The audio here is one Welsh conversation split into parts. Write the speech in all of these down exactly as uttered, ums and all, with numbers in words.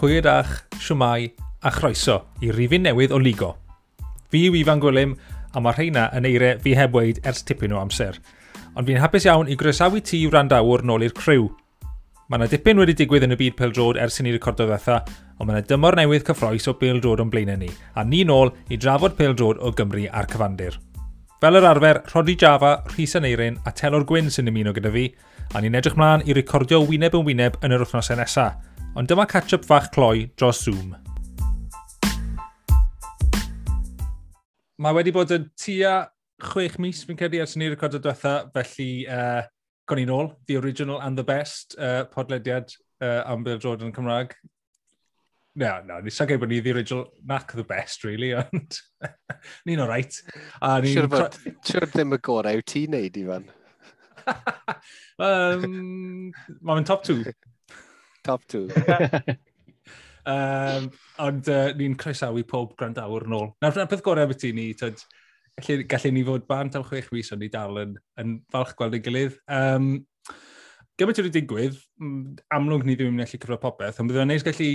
Chwyrdach, siwmai a chroeso i rifyn newydd o Ligo. Fi yw Ifan Gwilym, a mae rheina yn eiriau fi heb weud ers tipyn o amser. Ond fi'n hapus iawn i groesawu ti wrandawr nôl i'r criw. Mae yna dipyn wedi digwydd yn y byd pêl-droed ers i ni recordo ddiwetha, ond mae yna dymor newydd cyffrous o bêl-droed o'n blaenau ni, a ni nôl i drafod pêl-droed o Gymru a'r cyfandir. Fel yr arfer, Rhodri Java, Rhys Aneirin a Telor Gwyn sy'n ymuno gyda fi, a ni'n edrych mlaen i recordio wyneb yn wyneb yn yr wythnosau nesaf. Ond dyma catch-up fach cloi dros Zoom. Mae wedi bod yn tua chwech mis, fi'n credu, ers i ni recordio diwetha, felly uh, gawn ni nôl, the original and the best uh, podlediad uh, am bêl-droed yn Cymraeg. Na, na, ni sa'n gweud bod ni the original nac the best, really, ond ni'n alright. A ni'n Siwr fod, siwr ddim y gorau yw ti'n neud, Ifan. um, Mae'n top two. Top two. um, ond uh, ni'n croesawu pob gwrandawr nôl. Na'r na peth gorau beth i ni, tyd, gallu, gallu ni fod bant am chwech mis, ond ni dal yn, yn falch gweld ein gilydd. Um, gymaint wedi digwydd, amlwg ni ddim yn gallu cyfro popeth, ond bydd neis gallu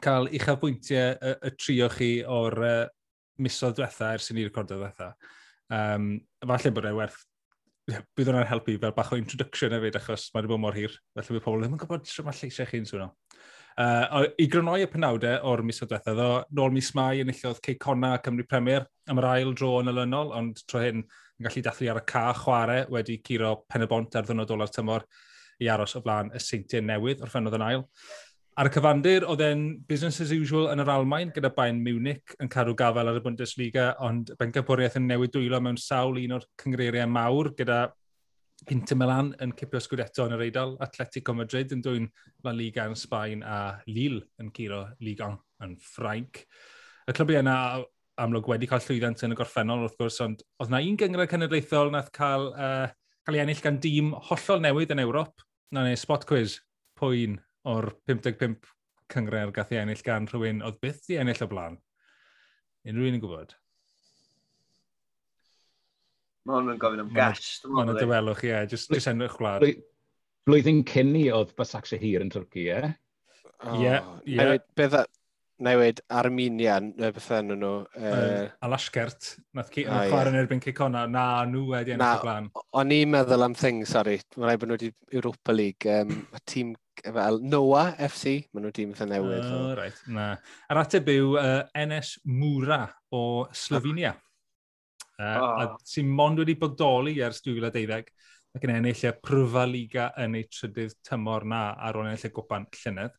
cael uchafbwyntiau y, y trio chi o'r uh, misoedd diwetha ers i ni recordio diwetha. Um, falle bod e werth, bydd hwnna'n helpu fel bach o introduction hefyd, achos mae wedi bod mor hir. Felly bydd pobl ddim yn gwybod sut mae lleisiau chi'n swnio. Uh, I grynhoi y penawdau o'r misoedd diwetha, ddo, nôl mis Mai enillodd Cei Connah Cymru Premier am yr ail dro yn olynol, ond tro hyn yn gallu dathlu ar y ca chwarae wedi curo Pen y Bont ar ddwrnod ola'r tymor i aros o flaen y Seintiau Newydd, orffennodd yn ail. Ar y cyfandir, oedd e'n business as usual yn yr Almain gyda Bayern Munich yn cadw gafael ar y Bundesliga, ond bencampwriaeth yn newid dwylo mewn sawl un o'r cyngreiriau mawr gyda Inter Milan yn cipio Scudetto yn yr Eidal, Atletico Madrid yn dwyn La Liga yn Sbaen a Lille yn curo Ligue un yn Ffrainc. Y clybiau yna amlwg wedi cael llwyddiant yn y gorffennol wrth gwrs, ond oedd na un gynghrair cenedlaethol nath cael, uh, cael ei ennill gan dîm hollol newydd yn Ewrop. Na ni, spot quiz, pwy un o'r pum deg pump cynghrair gath ei ennill gan rhywun oedd byth i ennill o blaen? Unrhyw un yn gwybod? Mae hwn yn gofyn am guess. Mae'n y dawelwch, ie, just, just enw'ch gwlad. Blwyddyn cyn ni oedd Başakşehir yn Twrci, ie? Ie, ie. Beth newid Armenia, neu beth enw nhw. Uh, Alashkert, nath ci, ah, chwarae yn erbyn Cei Connah, na, nhw wedi ennill o blaen. O'n i'n meddwl am thing, sorry, mae'n rhaid bod nhw wedi Europa League, um, a tîm fel Noah F C, maen nhw tîm eitha newydd. Oh, right, na. A'r ateb yw uh, N S Mura o Slovenia. Uh, oh. A sy'n mond wedi bodoli ers dwy fil a deuddeg ac yn ennill y Prva Liga yn ei trydydd tymor na ar ôl ennill y gwpan llynedd.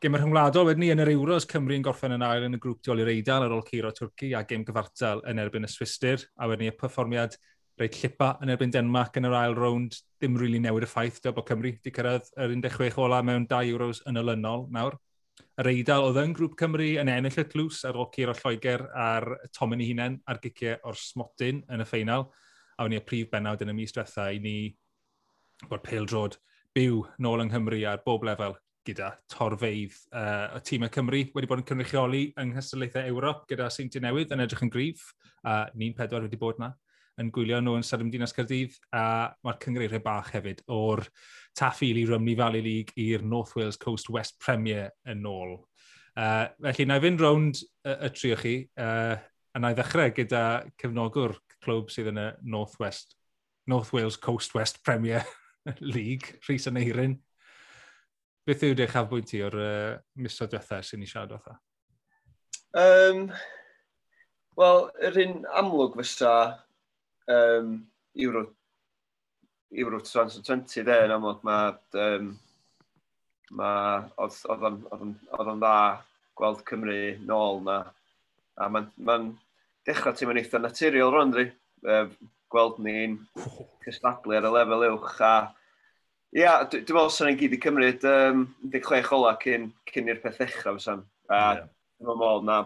Gêm rhyngwladol wedyn ni yn yr Euros, Cymru yn gorffen yn ail yn y grŵp tu ôl i'r Eidal ar ôl curo Twrci a gêm gyfartal yn erbyn y Swistir, a wedyn ni y perfformiad reit llipa yn erbyn Denmark yn yr ail rownd, ddim rili really newid y ffaith do, bod Cymru wedi cyrraedd yr un deg chwech ola mewn dau Euros yn olynol nawr. Yr Eidal oedd yn grŵp Cymru yn ennill y tlws ar ôl curo Lloegr ar tomen ei hunain ar giciau o'r smotyn yn y ffeinal. A wedyn ni y prif bennawd yn y mis diwetha i ni bod pêl-droed byw nôl yng Nghymru ar bob lefel gyda torfeydd uh, y tîmau Cymru wedi bod yn cynrychioli yng nghystadlaethau Ewrop gyda Seintiau Newydd yn edrych yn gryf. A ni'n pedwar wedi bod na yn gwylio nhw yn Stadiwm Dinas Caerdydd, a mae'r cynghreiriau bach hefyd o'r Taff Ely Rhymney Valley League i'r North Wales Coast West Premier yn ôl. Uh, felly, na i fynd rownd y, y tri o chi, uh, a na i ddechrau gyda cefnogwr clwb sydd yn y North West, North Wales Coast West Premier League, Rhys Aneirin. Beth yw dy uchafbwynt ti o'r uh, misoedd diwetha sy'n ni siarad diwetha? Um, Wel, yr un amlwg fysa um, Euro, Euro twenty twenty de, yn amlwg. Ma, um, ma, oedd, oedd o'n, oedd o'n, oedd o'n dda gweld Cymru nôl na. A ma'n, ma'n dechrau teimlo'n eitha naturiol rwan, dri. Uh, gweld ni'n cystadlu ar y lefel uwch. A ia, dwi, dwi'n meddwl sy'n ni'n gyd i cymryd um, un deg chwech ola cyn, cyn i'r peth ddechrau fysa'n. A yeah. Dwi'n meddwl na,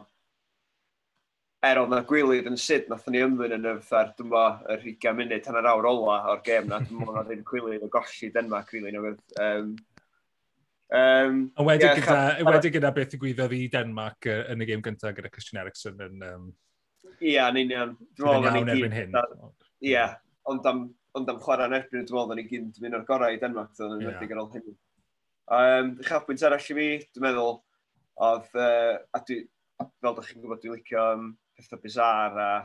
er oedd na gwilydd yn syd, nathon ni ymddwyn yn y fatha'r, dwi'n meddwl, yr ugain munud, hanner awr ola o'r gêm na, dwi'n meddwl na ddim gwilydd o golli Denmark, really, nag oedd. Um, um, A wedi yeah, gyda, cha- wedi gyda beth ddigwyddodd i Denmark yy, yn y gêm gyntaf gyda Christian Eriksen yn, um, Ia, yn union. Dwi'n sydd meddwl yn na ni iawn gyd erbyn hyn. Ia, ond am, ond am chwarae yn erbyn, dwi'n meddwl na ni gyd yn dymuno'r gorau i Denmark, dwi'n Ie. enwedig ar ôl hynny. Um, uchafbwynt arall i fi, dwi'n meddwl, oedd, uh, a dwi, fel ydych chi'n gwybod, dwi'n licio um, pethau bizarre a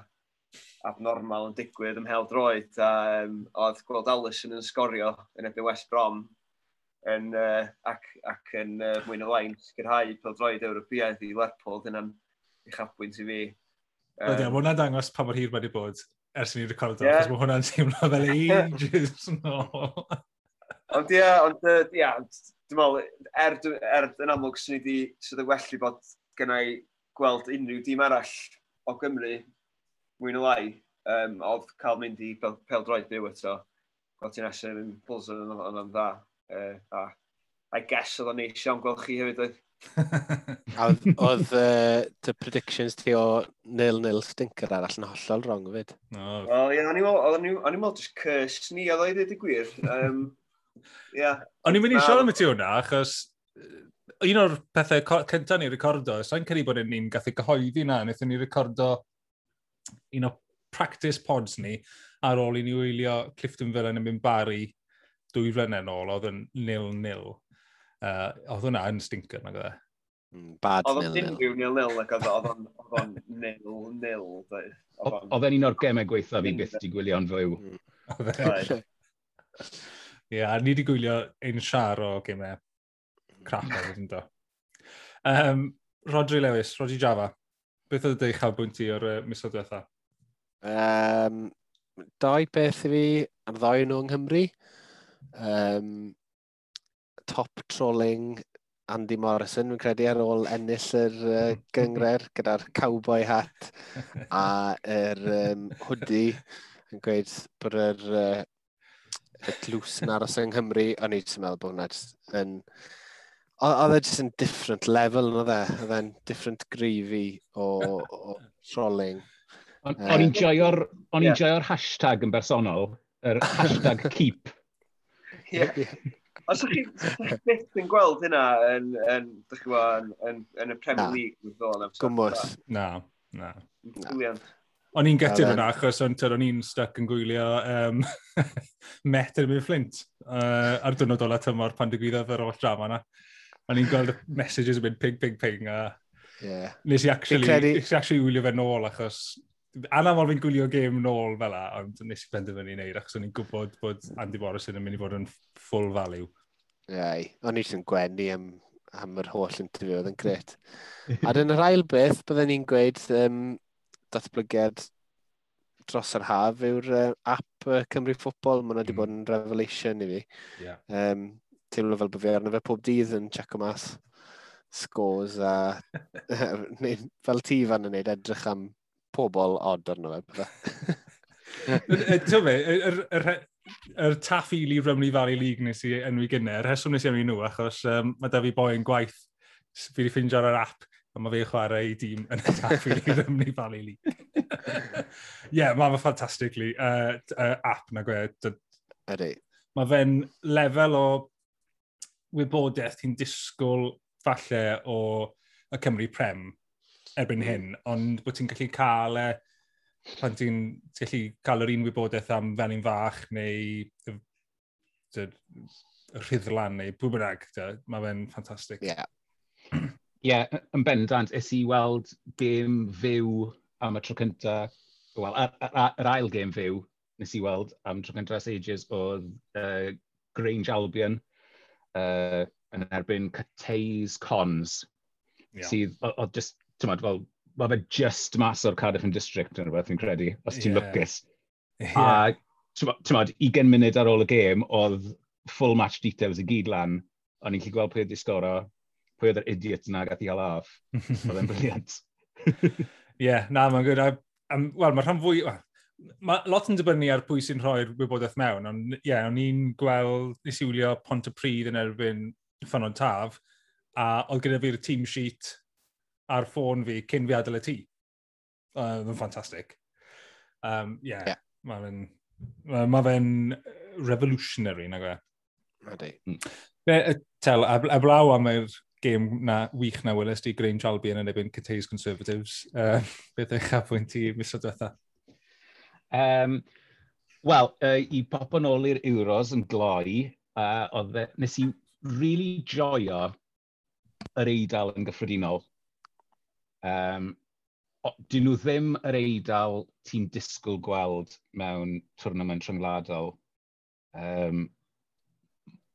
abnormal yn digwydd ym mhêl-droed, a um, oedd gweld Alisson yn sgorio yn erbyn West Brom yn, uh, ac, ac yn uh, mwy na lai'n sicrhau pêl-droed Ewropeaidd i Lerpwl, hynna'n uchafbwynt i fi. Um, Mae hwnna'n dangos pa mor hir mae wedi bod ers i ni recordo, yeah. Achos mae hwnna'n teimlo fel ages nôl. Ond ie, ond ie, dwi'n meddwl, er, er yn amlwg sy'n ni wedi, sydd yn well i bod gennau gweld unrhyw dîm arall o Gymru, mwy na lai, um, oedd cael mynd i pêl-droed byw eto. Gweld ti'n nesaf yn Plzen yn o'n dda. Uh, a I guess oedd o'n neis iawn gweld chi hefyd oedd. A oedd, oedd uh, dy predictions ti o nil-nil stinker arall yn hollol wrong fyd. No. Wel, ie, o'n i'n meddwl just curse ni, oedd o i ddweud y gwir. Um, yeah. O'n i'n mynd i siarad am ti hwnna, achos un o'r pethau cyntaf ni recordo, sa'n credu bod ni'n gallu gyhoeddi na, wnaethon ni recordo un o practice pods ni ar ôl i ni wylio Clifton Villa yn mynd Barry dwy flynedd nôl, oedd yn nil-nil. Uh, oedd hwnna yn stinker, nag oedd e? Mm, bad nil-nil. Oedd o'n unrhyw nil-nil, ac oedd o'n nil-nil. Oedd e'n un o'r gemau gweitha fi byth di gwylio'n fyw. Oedd e. Ie, a ni wedi gwylio ein siar o gemau crap hefyd yn do. Um, Rodri Lewis, Rodri Java, beth oedd dy uchafbwynt ti o'r uh, misoedd diwetha? Um, dau beth i fi, a'r ddau nhw yng Nghymru. Um, top trolling Andy Morrison, fi'n credu, ar ôl ennill yr uh, gynghrair gyda'r cowboy hat a yr um, hoodie yn gweud bod yr, uh, y tlws yn aros yng Nghymru. O'n i jyst yn meddwl bod hwnna jyst yn... Oedd e jyst yn different level, yn oedd e? Oedd e'n different gravy o, o trolling. O'n i'n joio'r o'n i'n joio'r hashtag yn bersonol, yr hashtag keep. Yeah. Os ydych chi byth yn gweld hynna yn, yn, dych chi'n gwybod, yn, yn, yn y Premier League? Gwmwys. Na, na. Brilliant. O'n i'n gytid yna, achos o'n o'n i'n stuck yn gwylio um, Met yn mynd Flint uh, ar diwrnod ola tymor pan digwyddodd yr holl drama yna. O'n i'n gweld messages yn mynd ping, ping, ping, a yeah. nes i actually, credu... nes i actually wylio fe nôl, achos anaml fi'n gwylio gêm nôl fel la, ond nes i benderfynu wneud, achos o'n i'n gwybod bod Andy Morrison yn mynd i fod yn full value. Ie, yeah, o'n i jyst yn gwenu am, am yr holl interview, oedd yn gret. A dyn yr ail beth, bydden ni'n gweud um, datblygiad dros yr haf yw'r uh, app uh, Cymru Football. Mae hwnna wedi mm. bod yn revelation i fi. Yeah. Um, teimlo fel bod fi arno fe pob dydd yn checo mas scores a neu, fel ti fan yn neud, edrych am pobl odd arno fe. Ti'n fe, yr, yr, yr Taff Ely Rhymney Valley League nes i enwi gynnau, yr rheswm nes i enwi nhw, achos um, mae da fi boi yn gwaith, fi wedi ffindio ar yr app, a mae fe'n chwarae i dîm yn y Taff Ely Rhymney Valley League. Ie, yeah, mae fe fantastically uh, uh, app na gwe. Ydy. Mae fe'n lefel o wybodaeth ti'n disgwyl falle o y Cymru Prem erbyn hyn, ond bod ti'n gallu cael e, pan ti'n gallu cael yr un wybodaeth am Felin Fach neu y, y, y Rhuddlan neu pwy bynnag, mae fe'n ffantastig. Ie. Ie, yeah, yn bendant, es i weld gêm fyw am y tro cynta, wel, yr ail gêm fyw nes i weld am tro cynta ers ages oedd uh, Grange Albion uh, yn erbyn Cathays Cons, yeah. Sydd, oedd just, ti'n modd, fel, mae fe just mas o'r Cardiff and District yn rhywbeth, fi'n credu, os ti'n yeah. lwcus. Yeah. A, ti'n modd, ugain munud ar ôl y gêm, oedd full match details i gyd lan, o'n i'n gallu gweld pwy oedd i sgoro, pwy oedd yr idiot yna gath i gael off. Oedd e'n brilliant. Ie, yeah, na, mae'n good. Wel, mae rhan fwy... Well, mae lot yn dibynnu ar pwy sy'n rhoi'r wybodaeth mewn, ond ie, yeah, o'n i'n gweld, nes i wylio Pontypridd yn erbyn Ffynnon Taf, a oedd gyda fi'r team sheet ar ffôn fi cyn fi adael y tŷ. Oedd uh, yn ffantastig. Um, yeah, yeah. Mae fe'n ma, ma fe'n revolutionary, nag e? Ydy. Be, tel, a, a blaw am yr gêm na wych na welest i Grange Albion yn erbyn Cathays Conservatives. Uh, beth eich pwynt i misoedd diwetha? Um, Wel, uh, i popo nôl i'r Euros yn gloi, uh, oedd e, nes i really joio yr Eidal yn gyffredinol. Um, dyn nhw ddim yr Eidal ti'n disgwyl gweld mewn tournament rhyngwladol. Um,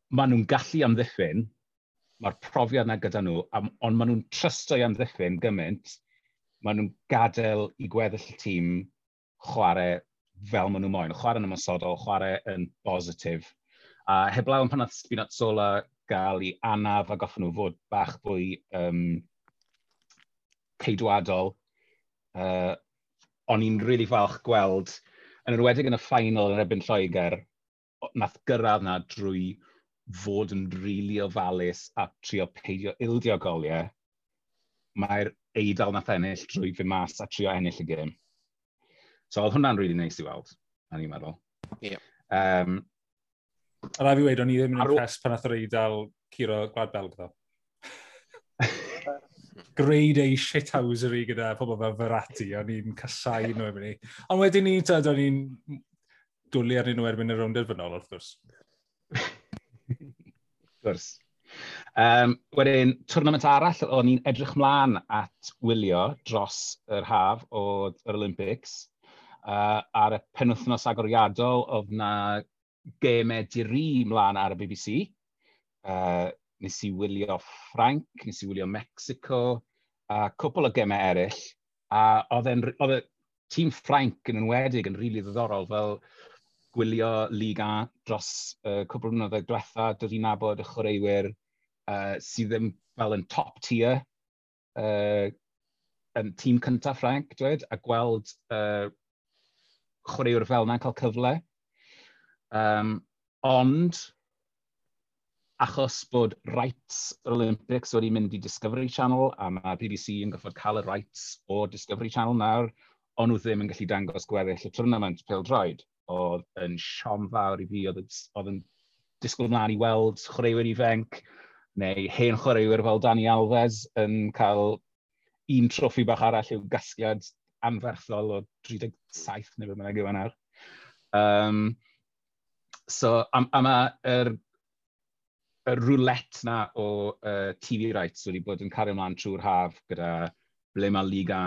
maen nhw'n gallu amddiffyn, mae'r profiad yna gyda nhw, am, ond maen nhw'n trysto i amddiffyn gymaint, maen nhw'n gadael i gweddill y tîm chwarae fel maen nhw moyn. Chwarae yn ymosodol, chwarae yn bositif. A heblaw yn pan nath Spinazzola gael ei anaf a goffon nhw fod bach fwy um, ceidwadol. Uh, o'n i'n really falch gweld, yn enwedig yn y final yn erbyn Lloegr, nath gyrraedd na drwy fod yn rili really ofalus a trio peidio ildio goliau. Mae'r Eidal nath ennill drwy fynd mas a trio ennill y gêm. So oedd hwnna'n really neis i weld, o'n i'n meddwl. Yeah. Um, A rhaid fi weud, o'n i ddim yn impressed pan nath yr Eidal curo Gwlad Belg, ddo. Grade A shithousery gyda pobl fel Verratti, o'n i'n casau nhw erbyn ni. Ond wedyn ni, tyd, o'n i'n dwlu arnyn nhw erbyn y rownd derfynol, wrth gwrs. Wrth gwrs. Um, wedyn, tournament arall, o'n i'n edrych mlaen at wylio dros yr haf oedd yr Olympics. Uh, ar y penwythnos agoriadol, oedd na gemau diri mlaen ar y B B C. Uh, nes i wylio Ffrainc, nes i wylio Mexico, a cwpl o gemau eraill. A oedd e'n, oedd y tîm Ffrainc yn enwedig yn rili really ddiddorol, fel gwylio Liga dros uh, cwpl o blynyddoedd diwetha, dod i nabod y chwaraewyr uh, sydd ddim fel yn top tier uh, yn tîm cyntaf Ffrainc, dweud, a gweld uh, chwaraewyr fel yna'n cael cyfle. Um, ond, achos bod rights yr Olympics wedi mynd i Discovery Channel, a mae B B C yn gorfod cael y rights o Discovery Channel nawr, o'n nhw ddim yn gallu dangos gweddill y tournament pêl-droed. Oedd yn siom fawr i fi, oedd, oedd yn disgwyl mlaen i weld chwaraewyr ifanc, neu hen chwaraewyr fel Dani Alves yn cael un troffi bach arall i'w gasgliad anferthol o tri deg saith neu beth bynnag yw e nawr. Um, so, a, a mae yr, y roulette na o uh, T V rights wedi bod yn cario ymlaen trwy'r haf gyda ble mae Liga,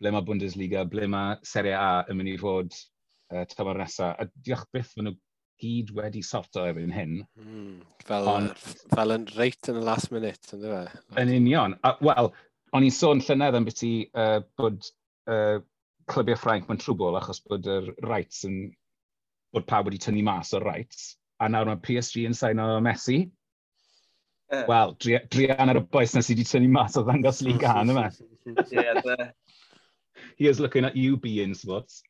ble mae Bundesliga, ble mae Serie A yn mynd i fod uh, tymor nesaf. A diolch byth maen nhw gyd wedi sorto erbyn hyn. Mm, fel, Ond, fel yn reit yn y last minute, ynddo fe? Yn union. Wel, o'n i'n sôn llynedd am byti uh, bod uh, clybiau Ffrainc mewn trwbl achos bod yr rights yn bod pawb wedi tynnu mas o'r rights. A nawr mae P S G yn saino Messi. Uh. Wel, druan ar y bois na sydd wedi tynnu mas o ddangos Liga yma. Yeah. He is looking at you, beIN Sports.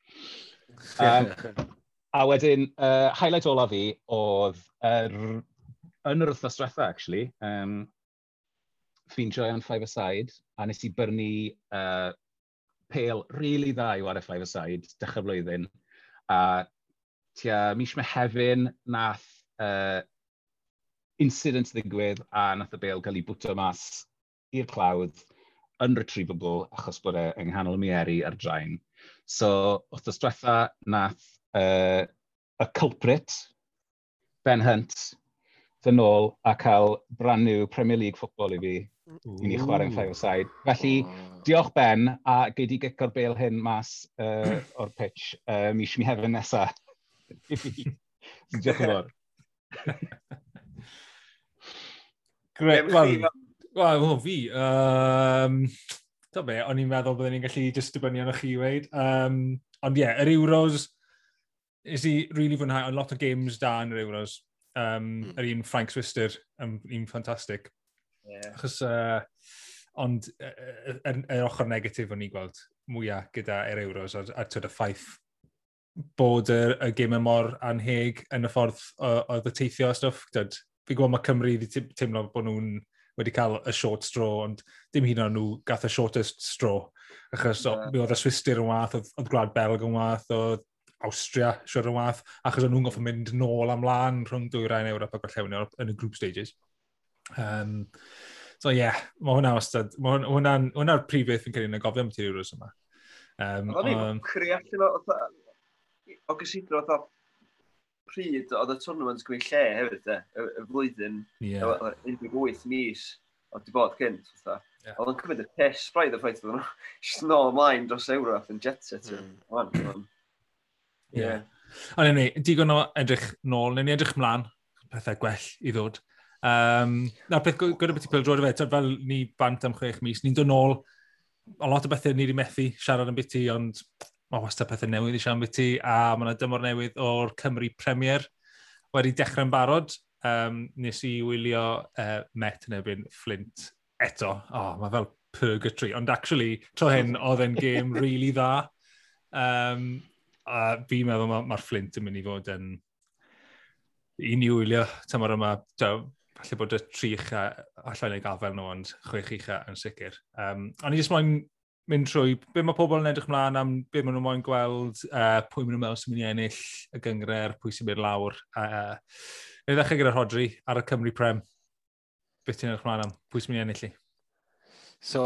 Um, a wedyn, uh, highlight olaf fi oedd er, yn yr wythnos diwetha, actually, um, fi'n joio'n five-a-side, a nes i brynu uh, pêl really dda i ware five-a-side, dechrau blwyddyn. A tua mis Mehefin nath uh, incident ddigwydd a nath y bêl gael ei bwto mas i'r clawdd, unretrievable, achos bod e yng nghanol y mieri ar draen. So, wythnos diwetha nath uh, y culprit, Ben Hunt, ddod nôl a cael brand new Premier League football i fi i ni chwarae'n five-a-side. Felly, oh, diolch Ben, a gei di gico'r bêl hyn mas uh, o'r pitch uh, mis Mehefin nesa. Diolch yn fawr. Gret, wel, wel, fi, um, do be, o'n i'n meddwl byddwn ni'n gallu just dibynnu arnoch chi weud. Um, ond ie, yeah, yr Euros, nes i really fwynhau, ond lot o games da yn yr Euros. Um, mm. Yr un Ffrainc Swistir, yn un ffantastig. Yeah. Achos, uh, ond yr, yr, yr ochr negatif o'n i gweld mwyaf gyda yr Euros, a, a twyd y ffaith bod y, y gêm mor anheg yn y ffordd oedd y teithio a stwff. Dyd, fi gwybod mae Cymru wedi teimlo bod nhw'n wedi cael y short straw, ond dim hyd yn oed nhw gath y shortest straw. Achos yeah. mi oedd y Swistir yn wath, oedd, oedd Gwlad Belg yn wath, oedd Austria siwr yn wath, achos o'n nhw'n goffo mynd nôl am lan rhwng dwyrain Ewrop a Gorllewin Ewrop yn y group stages. Um, so ie, yeah, mae hwnna wastad, mae hwnna'n hwnna prif beth fi'n credu yn y gofio am ti'r Euros yma. Um, O'n i'n cri allan o, o gysidro fatha pryd oedd y tournament gymryd lle hefyd, de, y, y flwyddyn, Yeah. un deg wyth mis oedd di bod cynt. Fatha. Ie. Oedd yn cymryd y piss braidd y ffaith oedd nhw just nôl ymlaen dros Ewrop yn jet set. Mm. Mm. Ie. Ond anyway, digon o edrych nôl, newn ni edrych mlaen, pethau gwell i ddod. Um, na'r peth gwrdd beth i pêl-droed fe, twyd, fel ni bant am chwech mis, ni'n dod nôl, a lot o bethau ni wedi methu siarad am biti, ond mae wastad pethau newydd i siarad am biti, a mae yna dymor newydd o'r Cymru Premier wedi dechrau'n barod. Um, nes i wylio uh, Met yn erbyn Flint eto. Oh, mae fel purgatory. Ond actually, tro hyn, oedd e'n gêm really dda. Um, a fi'n meddwl mae'r ma Flint yn mynd i fod yn un i wylio tymor yma. Taw, falle bod y tri ucha allan ei gafel nhw, ond chwech ucha yn sicr. Um, ond i jyst moyn mynd trwy be mae pobl yn edrych mlaen am be maen nhw moyn gweld, uh, pwy maen nhw'n meddwl sy'n mynd i ennill y gynghrair, pwy sy'n mynd lawr. Uh, Neu ddechrau gyda Rhodri ar y Cymru Prem. Beth ti'n edrych mlaen am? Pwy sy'n mynd i ennill i? So,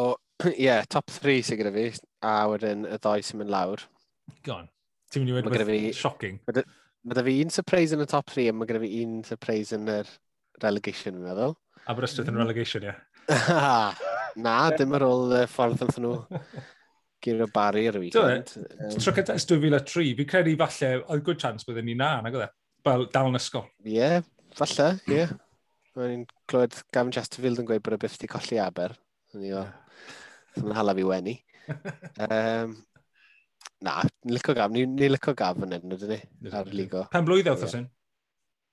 ie, yeah, top three sydd gyda fi, a wedyn y ddoi sy'n mynd lawr. Go on. Ti'n mynd i Ma' wedi gyda fi- shocking. Mae da fi un surprise yn y top three, a mae gyda fi un surprise yn yr relegation, fi'n meddwl. Aberystwyth yn relegation, ie. Na, dim ar ôl y ffordd wnaethon nhw guro Barry ar y weekend. Yym, Tro cyntaf ers dwy fil a tri, fi credu falle, oedd good chance bydden ni na, nag oedd e? Fel dal yn ysgol. Ie, falle, ie. Mae'n clywed Gavin Chesterfield yn gweud bod e byth wedi colli Aber. O'n i fel, yn hala fi wenu. Um, na, ni'n licio Gavin, ni'n ni licio Gavin yn ydyn ni, ar Ligo. Pen blwydd wrth Ie. hyn.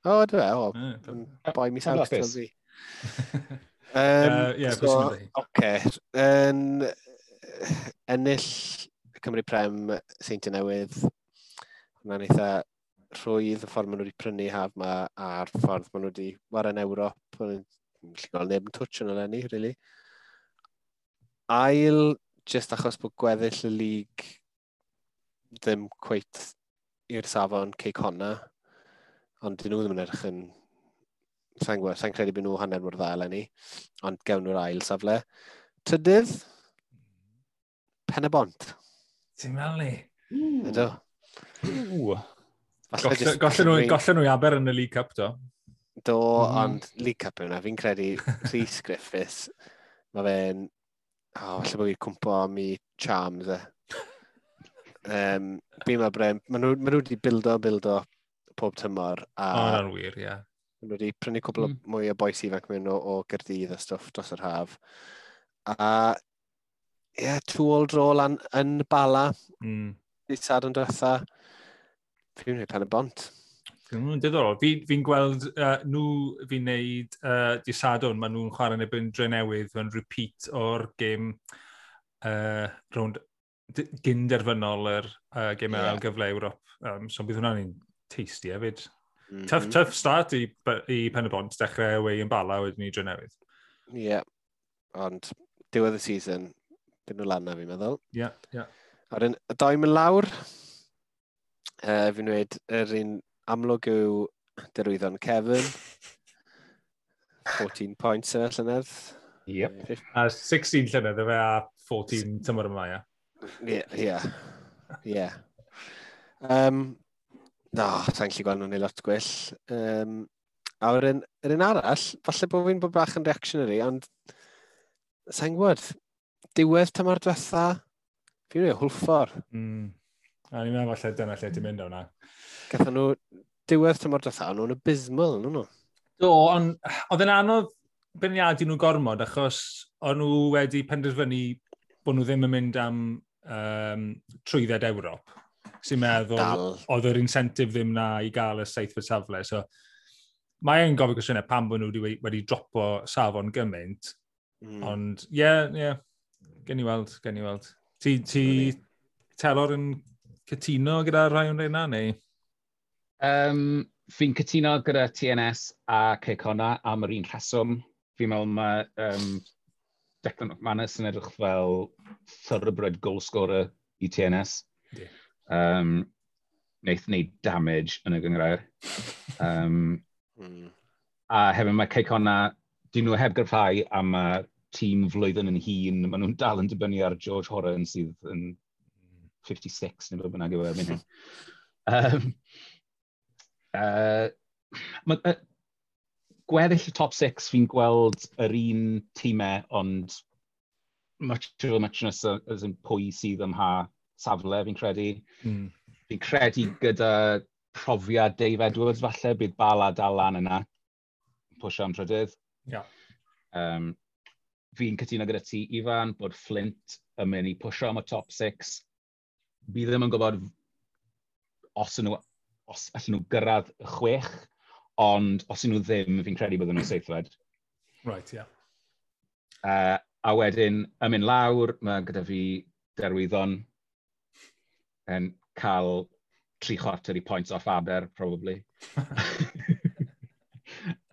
O, ydw e, o, Ie, boi mis Pen Awst hapus. fel fi. Yy, Um, ie, so, pwy sy'n mynd â hi? Oce, yn ennill Cymru Prem Seintiau Newydd, hwnna'n eitha rhwydd y ffordd maen nhw wedi prynu haf ma a'r ffordd maen nhw wedi warae yn Ewrop. Maen nhw'n gallu gweld neb yn touch yn eleni, really. Ail, just achos bod gweddill y lig ddim cweit i'r safon Cei Connah, ond dyn nhw ddim yn edrych yn. Sa'n gwybod, sa'n credu bod nhw hanner mor dda eleni, ond gewn nhw'r ail safle. Trydydd, Pen y Bont. Ti'n meddwl ni? Ydw. Ww. Falle jyst Gollen nhw, Cymru- gollen nhw i Aber yn y League Cup, do. Do, Mm. ond League Cup yw hwnna. Fi'n credu Rhys Griffiths, mae fe'n. Oh, falle bod fi'n cwmpo am i charms e. Um, fi'n meddwl bod e'n... Maen nhw, ma nhw wedi bildo, bildo pob tymor. A O, hwnna'n wir, ie. maen nhw wedi prynu cwbl o Mm. mwy o bois ifanc mewn o, o Gyrdydd a stwff dros yr haf. A ie, yeah, two all draw lan yn Bala, Mm. dydd Sadwrn diwetha. Fi'n rhoi Pen y Bont. Mm, diddorol. Fi'n fi gweld uh, nhw fi'n neud uh, di Sadwrn, maen nhw'n chwarae yn erbyn Drenewydd yn repeat o'r gêm uh, rownd d- gynderfynol yr uh, gêm Ie. yeah. ail gyfle Ewrop. Um, so bydd hwnna'n un tasty hefyd. Mm -hmm. Tough, tough start i, i Pen y Bont, dechrau away yn Bala, wedyn i Drenewydd. Ie, yeah. Ond diwedd y season, dyn nhw lan na fi'n meddwl. Ie, yeah, ie. Yeah. A wedyn, y doi mynd lawr, uh, fi'n dweud, yr un amlwg yw Derwyddon Kevin. fourteen points yna llynedd. Yep. A sixteen llynedd, efe a fourteen tymor yma, ie. Ie, ie. Ie. Um, no, sa'n gallu gweld nhw'n ei lot gwell. Um, a wedyn, yr un arall, falle bod fi'n bod bach yn reactionary, ond sa'n gwybod, diwedd tymor diwetha, fi'n rhoi Hwlffordd. Mm. A ni'n meddwl falle dyna lle ti'n mynd o hwnna. Gathen nhw diwedd tymor diwetha, o'n nhw'n abysmal, nhw nhw. Do, ond oedd yn anodd beirniadu nhw gormod achos o'n nhw wedi penderfynu bod nhw ddim yn mynd am um, trwydded Ewrop. Sy'n meddwl Dal. Oedd yr incentive ddim na i gael y seithfed safle. So, mae e'n gofyn cwestiynau pam bod nhw wedi, wedi dropo safon gymaint. Mm. Ond, ie, yeah, ie, yeah. Gen i weld, gen i weld. Ti, ti Telor yn cytuno gyda rhai o'n rheina, neu? Um, fi'n cytuno gyda T N S a Cei Connah am yr un rheswm. Fi'n meddwl mae um, Declan McManus yn edrych fel thoroughbred goal scorer i T N S. Yndi. Um, wneith wneud damage yn y gynghrair. Um, Mm. A hefyd mae Cei Connah, dyn nhw heb gryfhau a mae tîm flwyddyn yn hun, maen nhw'n dal yn dibynnu ar George Horan sydd yn fifty-six neu beth bynnag yw e erbyn hyn. Um, Uh, ma, uh, gweddill y top six fi'n gweld yr un tîmau, ond much of a muchness as in pwy sydd ym mha safle, fi'n credu. Mm. Fi'n credu gyda profiad Dave Edwards falle, bydd Bala dal lan yna. Pwysio am trydydd. Ia. Um, fi'n cytuno gyda ti, Ifan, bod Flint yn mynd i pwysio am y top six. Fi ddim yn gwybod os, nhw, os allan nhw gyrraedd y chwech, ond os ydyn nhw ddim, fi'n credu bydden nhw'n seithfed. Right, yeah. Uh, a wedyn, yn mynd lawr, mae gyda fi Derwyddon yn cael tri chwarter i points off Aber, probably.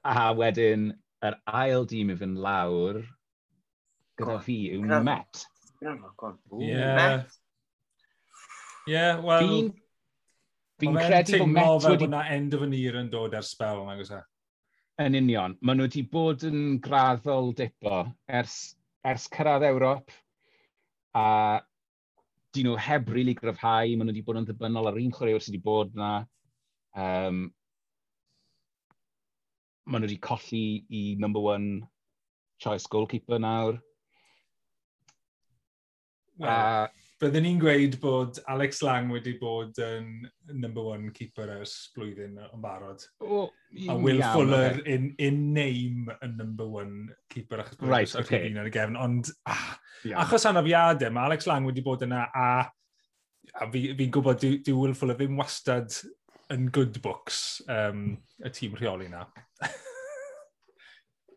A wedyn, yr ail dîm i fynd lawr gyda fi yw Caernarfon. Met. Caernarfon, go on. Ie. Met. Ie, wel... Fi'n fi ma' fe'n credu bod teimlo Met fel wedi bod na end of an era yn dod ers spel, nag oes e? Yn union. Maen nhw wedi bod yn graddol dipo ers, ers cyrraedd Ewrop, a di nhw heb really gryfhau, maen nhw wedi bod yn ddibynnol ar un chwaraewr sydd wedi bod na. Um, maen nhw wedi colli i number one choice goalkeeper nawr. Wel, A byddwn ni'n gweud bod Alex Lang wedi bod yn number one keeper ers blwyddyn yn barod. O, A Will iawn, Fuller ocê. in, in name yn number one keeper achos bod Right, e'n okay. un ar y gefn. Ond ah, Iawn. achos anafiadau, mae Alex Lang wedi bod yna a, a fi'n fi gwybod dyw, dyw Will Fuller ddim wastad yn good books um, y tîm rheoli na.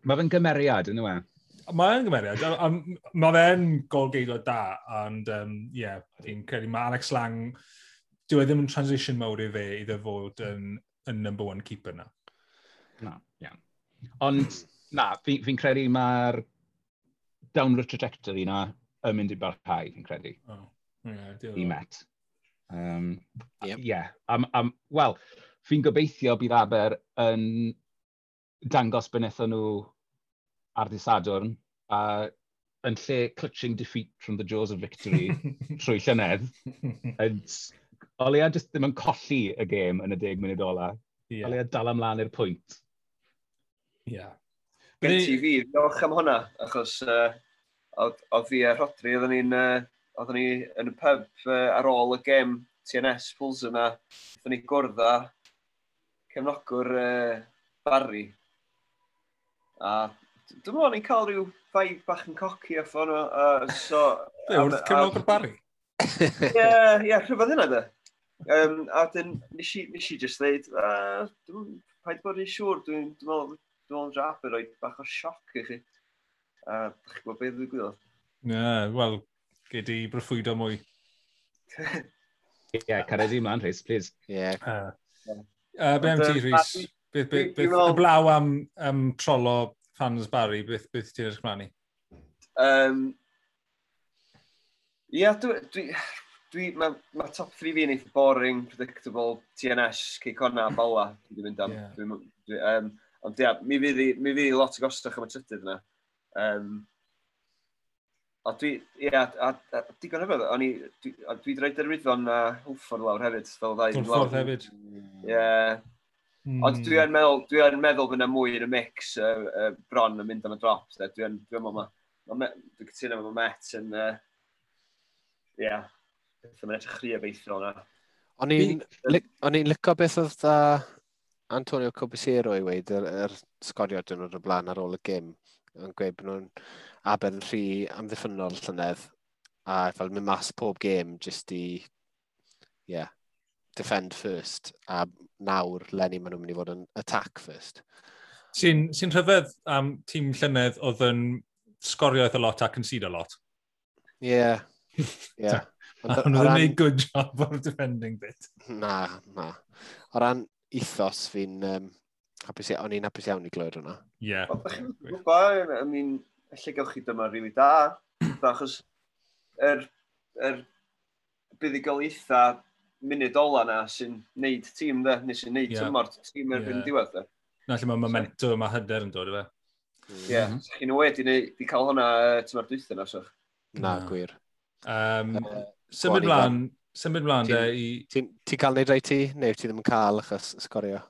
Mae fe'n gymeriad, yn yw e? Mae'n gymeriad. A, a, mae fe'n golgeidwad da, ond um, yeah, fi'n credu mae Alex Lang, dyw e ddim yn transition mawr i fe iddo fod yn, yn number one keeper na. Na, iawn. Ond, na, fi'n fi credu mae'r downward trajectory na yn mynd i barhau, fi'n credu, Oh, yeah, i Met. Um, Yep. Yeah, am, am, wel, fi'n gobeithio bydd Aber yn dangos be wnaethon nhw ar ddydd Sadwrn, a yn lle clutching defeat from the jaws of victory trwy llynedd, yn, o leia jyst ddim yn colli y gêm yn y deg munud ola. yeah. O leia dal ymlaen i'r pwynt. yeah. Gen ti fi, diolch am hwnna, achos uh, oedd oedd fi a Rhodri, oedden ni'n uh, oedden ni yn y pub uh, ar ôl y gêm T N S Pools yna, oedden ni gwrdd â cefnogwr uh, Barry. A d- dwi'n meddwl ni'n cael rhyw vibe bach yn cocky off hwnnw. Uh, so, Be, wrth cefnogwr Barry? Ie, ie, rhyfedd hynna de. Um, a dyn, nes i, nes i just dweud, uh, dwi'n paid bod yn siŵr, dwi'n dwi meddwl, dwi'n meddwl drap yn rhoi bach o sioc i chi. A uh, dych chi'n gwybod beth ddigwyddodd? Ie, yeah, wel, gei di broffwydo mwy. Ie, yeah, caria di ymlaen, Rhys, please. Ie. Uh, uh, be am Ond, ti, yym, Rhys? na, Beth, beth, dwi- beth, dwi'n meddwl- heblaw am, am trolo fans Barry, beth, beth ti'n edrych mlaen i? Um, Ie, dwi, dwi, dwi, mae ma top three fi yn eitha boring, predictable, T N S, Cei Connah, Bala, dwi wedi mynd am. Ie. Dwi, dwi, um, ond ia, mi fydd i, mi fydd i lot o gostach am y trydydd yna. Um, a dwi, ie, a, a, a digon rhyfedd, o'n i, dwi, a dwi wedi rhoi Derwyddon a Hwlffordd lawr hefyd, fel ddau. ddim lawr. Hwlffordd hefyd. Ie, Mm. ond dwi yn meddwl, dwi yn meddwl fydd yna mwy yn y mix uh, uh, bron yn mynd am y drop. De. Dwi yn, dwi'n meddwl, ma, ma, Me- dwi'n cytuno mae Met yn, uh, ie, yeah, mae'n edrych rhy obeithiol yna. O'n i'n lic- o'n i'n licio beth oedd da Antonio Corbisiero i weid, yr, yr sgorio dyn nhw'n y blaen ar ôl y gêm, yn gweud bod nhw'n Aber yn rhy amddiffynnol llynedd, a fel mynd mas pob gêm jyst i, yeah, defend first, a nawr, leni, maen nhw'n mynd i fod yn attack first. Sy'n sy rhyfedd am tîm llynedd oedd yn sgorio eitha lot a concede a lot. Ie, yeah. ie. Yeah. A nhw ddim yn gwneud good job o'r defending bit. Na, na. O ran ethos, fi'n um, hapus, o'n i'n hapus iawn i glywed hwnna. Ie. Yeah. Wel, dach chi'n gwybod, I mean, ella gewch chi dyma rili da, achos yr, yr buddugoliaethau munud ola na sy'n neud tîm, de, neu sy'n neud Ie. tymor tîm erbyn Ie. diwedd, de. Na lle mae momentum a hyder yn dod, efe. Ie, yeah. mm -hmm. Chi'n wedi neud, di cael hwnna uh, tymor dwytha na, so. Na, Na. gwir. Um, Yy, symud go on, mlaen, Symud mlaen de i... Ti'n ti cael neud rai ti, neu ti ddim yn cael achos sgorio?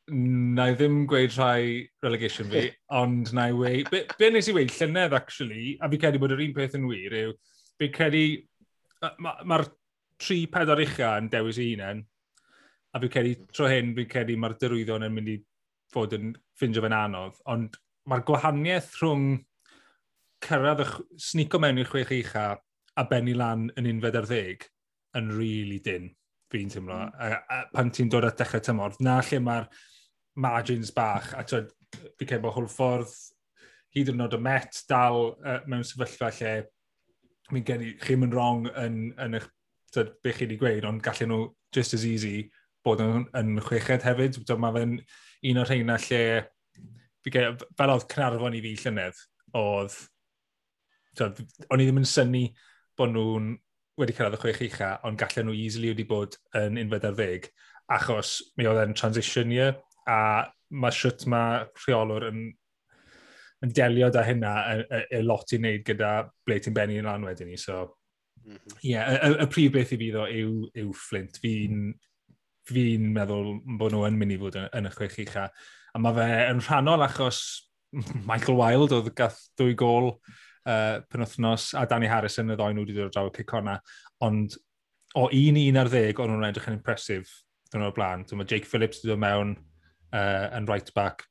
Na i ddim gweud rhai relegation fi, ond na i weud... Be, be nes i weud llynedd, actually, a fi credu bod yr un peth yn wir, yw, fi credu... Mae'r ma tri pedwar ucha yn dewis ei hunain, a fi credu tro hyn, fi credu mae'r derwyddon yn mynd i fod yn ffindio fe'n anodd, ond mae'r gwahaniaeth rhwng cyrraedd y sneako mewn i'r chwech ucha a benni lan yn unfed ar ddeg yn really dyn, fi'n teimlo. Mm. A, a, pan ti'n dod at dechrau tymor, na lle mae'r margins bach, a twyd, fi credu bod Hwlffordd, hyd yn oed y Met dal uh, mewn sefyllfa lle fi'n credu chi'n mynd wrong yn, yn eich, twyd, be chi wedi gweud, ond gallen nhw just as easy bod yn, yn chweched hefyd. Twyd, mae fe'n un o'r rheina lle, fi credu, fel oedd Caernarfon i fi llynedd, oedd, twyd, o'n i ddim yn synnu bod nhw'n wedi cyrraedd y chwech ucha, ond gallen nhw easily wedi bod yn unfed ar ddeg, achos mi oedd e'n transition year, a mae siwt mae rheolwr yn, yn delio da hynna y, y, y lot i wneud gyda ble ti'n benni yn lan wedyn ni. So, ie, mm -hmm. yeah, y, y, y prif beth i fi ddo yw, yw Flint. Fi'n fi meddwl bod nhw yn mynd i fod yn, yn y chwech ucha. A mae fe yn rhannol achos Michael Wilde oedd gath dwy gol uh, penwthnos, a Danny Harrison, y ddoi nhw wedi dod draw y cic honna. Ond o un i un ar ddeg, o'n nhw'n edrych yn impressive dyn o'r blaen. So, mae Jake Phillips wedi dod mewn uh, yn right back.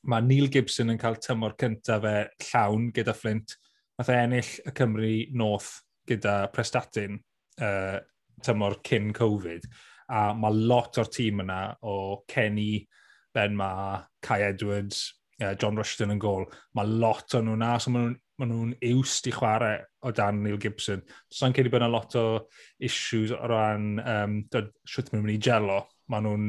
Mae Neil Gibson yn cael tymor cyntaf fe llawn gyda Flint. Nath e ennill y Cymru North gyda Prestatyn uh, tymor cyn Covid. A mae lot o'r tîm yna o Kenny, Ben Ma, Kai Edwards, uh, John Rushton yn gol. Mae lot o'n nhw na, so maen nhw'n ma nhw'n used i chwarae o dan Neil Gibson. So sa'n credu bod yna lot o issues o ran um, dod, shwt maen nhw'n mynd i gelo. Maen nhw'n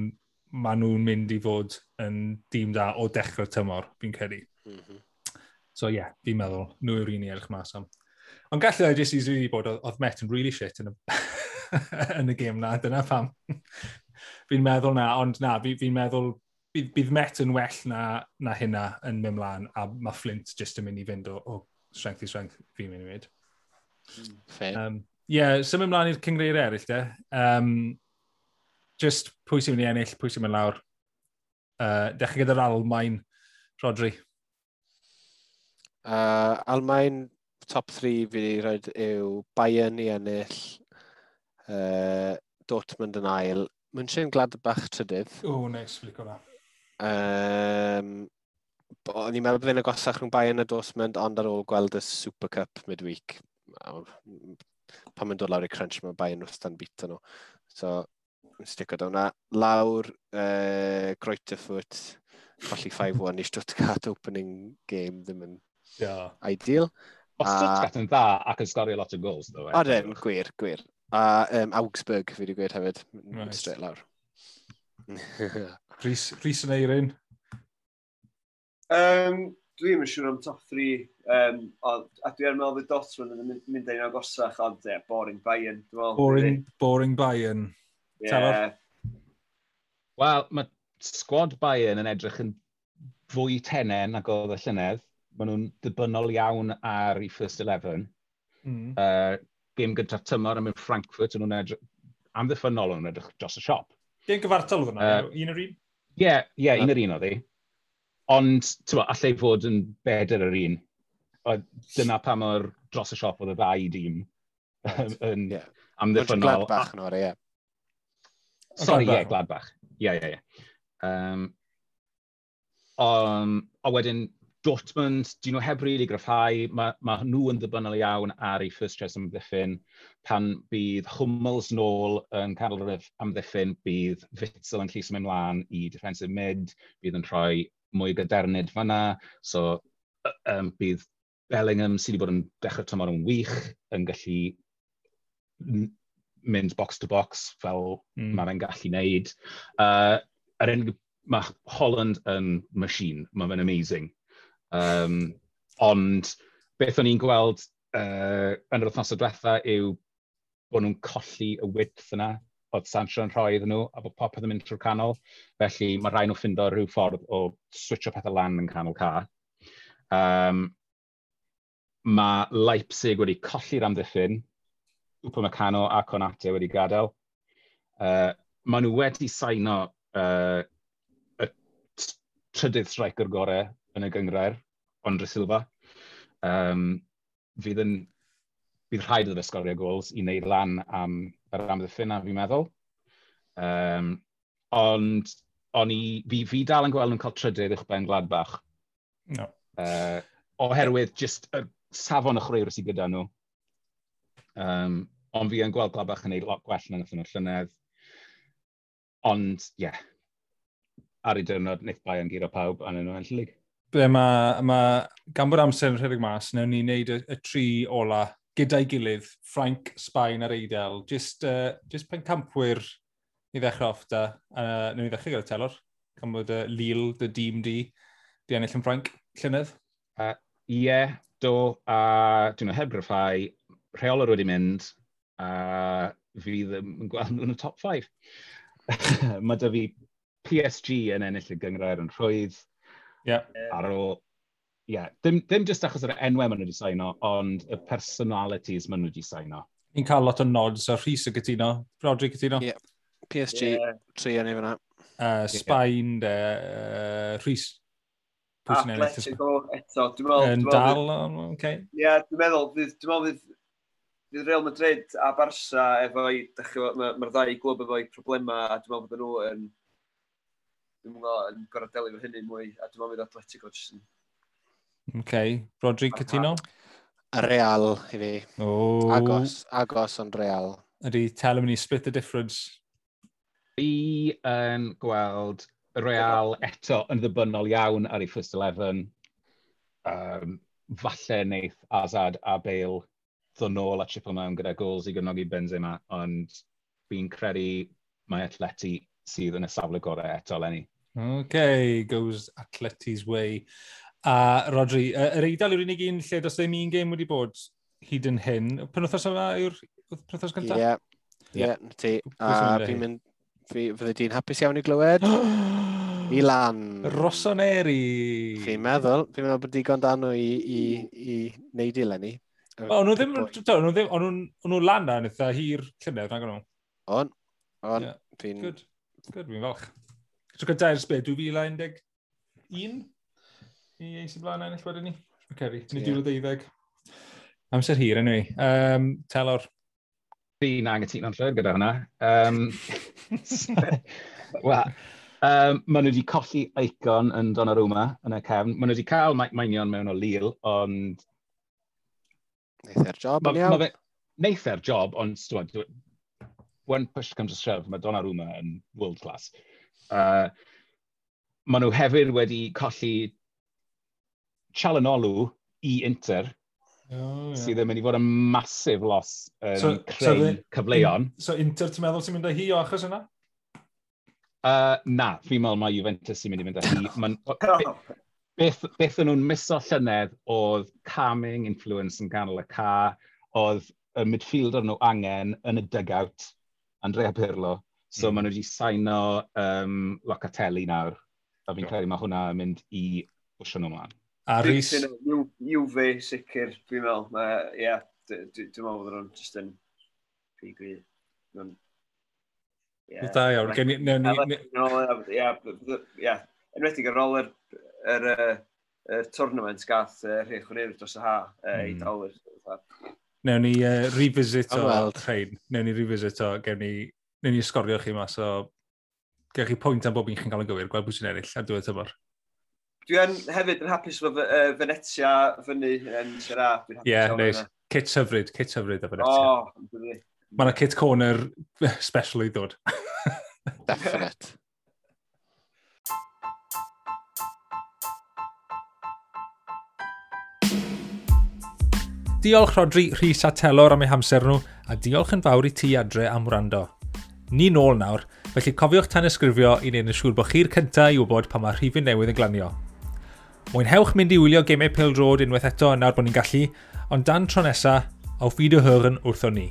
ma nhw'n mynd i fod yn dîm da o dechrau'r tymor, fi'n credu. Mm -hmm. So ie, yeah, fi'n meddwl, nhw yw'r un i edrych mas am. Ond gallu e just easily bod, oedd Met yn really shit yn y, yn y gêm na, dyna pam. Fi'n meddwl na, ond na, fi'n fi meddwl bydd, bydd Met yn well na, na hynna yn mynd mlaen, a mae Flint just yn mynd i fynd o, o strength i strength, fi'n mynd i wneud. Fair. Um, yeah, symud mlaen i'r cyngreir eraill, de. Um, just pwy sy'n mynd i ennill, pwy sy'n mynd lawr. Uh, dechrau gyda'r Almain, Rodri. Uh, Almain, top three fi wedi rhoi yw Bayern i ennill, uh, Dortmund yn ail, Mönchengladbach trydydd. O, oh, neis, fi licio hwnna. Um, o'n i'n meddwl bydd e'n agosach rhwng Bayern a Dortmund, ond ar ôl gweld y Super Cup midweek, pan mae'n dod lawr i crunch, mae Bayern wastad beat nhw. So, yn stico da hwnna. Lawr, uh, Greuther Fürth, colli five one i Stuttgart opening game ddim yn Yeah. ideal. O, Stuttgart yn dda ac yn sgorio lot o goals, though. O, dyn, gwir, gwir. A um, Augsburg fi wedi gweud hefyd, Right. straight lawr. Rhys, Rhys yn Eirin. Um, Dwi'm yn siŵr am top three. Um, ond, a dwi'n meddwl fydd Dortmund yn mynd, mynd ein agosach, ond yeah, boring Bayern. Dwi'n meddwl. Boring, boring Bayern. Telor? Yeah. Wel, mae squad Bayern yn edrych yn fwy tenau nag oedd y llynedd. Maen nhw'n dibynnol iawn ar eu first eleven. Mm. Uh, gêm gyntaf tymor yn mynd Frankfurt, yn nhw'n edrych, amddiffynnol o'n nhw'n edrych dros y siop. Gêm gyfartal oedd hwnna, Yy, un yr un? Ie, ie, un yr un oedd hi. Ond, ti'n bo, allai fod yn bedair yr un. A dyna pa mor dros y siop oedd y ddau dîm yn Ie. amddiffynnol. Gladbach yn o'r, ie. Sorry, ie, Gladbach. Gladbach. Ie, ie, ie. Um, um, a wedyn Dortmund, dyn nhw heb really gryfhau, mae ma nhw yn ddibynnol iawn ar eu first choice amddiffyn. Pan bydd Hummels nôl yn canol yr amddiffyn, bydd Witsel yn gallu symud ymlaen i defensive mid, bydd yn rhoi mwy o gadernid fanna. So um, bydd Bellingham, sydd wedi bod yn dechrau tymor yn wych, yn gallu n- mynd box to box fel Mm. mm. mae fe'n gallu neud. Uh, yr unig, mae Haaland yn machine, mae fe'n amazing. Um, ond beth o'n i'n gweld uh, yn yr wythnosau diwetha yw bod nhw'n colli y width yna oedd Sancho yn rhoi iddyn nhw a bod popeth yn mynd trwy'r canol. Felly mae rhaid nhw ffindo rhyw ffordd o switcho pethau lan yn canol ca. Um, mae Leipzig wedi colli'r amddiffyn. Upamecano a Konate wedi gadael. Uh, maen nhw wedi saino uh, y trydydd striker gorau yn y gynghrair, Andre Silva. Um, fydd, yn, bydd rhaid iddo fe sgorio gols i wneud lan am yr amddiffyn, a fi'n meddwl. Um, ond on i, fi, fi dal yn gweld nhw'n cael trydydd uwchben Gladbach. No. Uh, oherwydd just y safon y chwaraewyr sydd gyda nhw. Um, ond fi yn gweld Gladbach yn neud lot gwell na nathon nhw llynedd. Ond, ie, yeah, ar ei diwrnod, wneith Bayern guro pawb a nhw'n ennill y lig. Be mae, ma, gan bod amser yn rhedeg mas, wnawn ni wneud y, y tri ola gyda'i gilydd, Ffrainc, Sbaen a'r Eidal. Just, uh, just pencampwyr i ddechrau off da. Uh, wnawn ni ddechrau gyda Telor, gan bod uh, Lille, dy dîm di, di ennill yn Ffrainc llynedd. Ie, uh, yeah, do, a uh, dyn nhw heb gryfhau, rheolwr wedi mynd, a fi ddim yn gweld nhw'n y top five. Mae 'da fi P S G yn ennill y gynghrair yn rhwydd. Yeah. Ar ôl, yeah, dim, dim just achos yr enwau maen nhw wedi saino, ond y personalities maen nhw wedi saino. Ni'n cael lot o nods, o Rhys yn cytuno, Rodri cytuno. Ie. P S G, Ie. tri yn ei fyna. Uh, Sbaen, de, uh, Rhys. Pwy sy'n ennill y Sbaen? Atletico eto. Dwi'n meddwl... Yn dwi'n meddwl dal, oce. Okay. Ie, dwi'n meddwl, fydd- dwi'n meddwl fydd fydd Real Madrid a Barca efo'i, dach chi, mae'r ma ddau glwb efo'i problemau, a dwi'n meddwl bod nhw yn, dwi'n meddwl, yn gorfod delio efo hynny mwy, a dwi'n meddwl fydd Atletico jyst yn Okay. Rodri cytuno? A Real i fi. Oh. Agos, agos ond Real. Ydy, tell him ni split the difference. Fi yn gweld Real eto yn ddibynnol iawn ar ei first eleven. Um, falle wneith Hazard a Bale ddod nôl a chipo mewn gyda goals i gefnogi Benzema, ond fi'n credu mae Atleti sydd yn y safle gorau eto eleni. Okay, goes Atleti's way. A Rodri, y- yr Eidal yw'r unig un lle does ddim un gêm wedi bod hyd yn hyn. Penwythnos yma yw'r penwythnos gyntaf? Ie, ie, na ti. Pwy A sy'n mynd â fi'n hi? mynd, fi, fydde di'n hapus iawn i glywed. Milan. Rossoneri. Fi'n meddwl, fi'n meddwl bod digon dan nhw i, i, i wneud i eleni. O'n nhw ddim, do, o'n nhw ddim, o'n nhw'n o'n nhw lan na yn eitha hir llynedd, nag o'n nhw? On, on, Ie. fi'n... Good, good, fi'n falch. Tro gyntaf ers be, dwy fil un deg un? I A C Milan ennill wedyn ni? Okay, ni Ie. dwy fil deuddeg. Amser hir, anyway. Um, Telor. Fi'n anghytuno'n llwyr gyda hwnna. Um, Wel, um, maen nhw wedi colli icon yn Donnarumma yn y cefn. Maen nhw wedi cael Mike Maignan mewn o Lille, ond Neith e'r job ma, yn iawn. ma fe, neith e'r job, ond stwad, when push comes to shove, mae Donnarumma yn world class. Uh, maen nhw hefyd wedi colli Çalhanoğlu i Inter, Oh, yeah. sydd yn mynd i fod yn massive loss yn So- so, creu so so the- cyfleon. So Inter, ti'n meddwl sy'n mynd â hi o achos yna? Uh, na, fi'n meddwl mae Juventus sy'n mynd i fynd â hi. Ma'n, beth, beth o'n nhw'n miso llynedd oedd calming influence yn ganol y ca, oedd y midfielder nhw angen yn y dugout, Andrea Pirlo. So mm. maen nhw wedi saino um, Locatelli nawr. A fi'n Do. credu mae hwnna yn mynd i bwsio nhw mlaen. A Rhys, Juve sicr, dwi'n meddwl. Mae- Ie, dwi- dwi- dwi'n meddwl bod nhw'n just yn rhy gry. Ma'n- Ie. da iawn. Gen i- newn ni- ne- Ie, ie. Enwedig ar ôl yr, yr, yr, yr tournament gath uh, rhai chwaraewyr dros y ha, uh, Mm. Eidalwyr. Newn ni uh, revisit o Am weld. rhain. Newn ni revisit o, gewn ni, newn ni sgorio chi mas o... Gewch chi pwynt am bob un chi'n cael yn gywir, gweld pwy sy'n ennill ar diwedd tymor. Dwi yn hefyd yn hapus efo uh, Venezia fyny yn Serie A. Dwi'n hapus Ie, iawn neis. yna. Kit hyfryd, kit hyfryd a Venezia. O, oh, Mae yna kit corner special i ddod. Definite. Diolch Rodri, Rhys a Telor am eu hamser nhw, a diolch yn fawr i ti adre am wrando. Ni nôl nawr, felly cofiwch tanysgrifio i wneud yn siŵr bod chi'r cyntaf i wybod pan mae rhifyn newydd yn glanio. Mwynhewch mynd i wylio gemau pêl-droed unwaith eto nawr bod ni'n gallu, ond tan tro nesa, auf Wiederhören wrthon ni.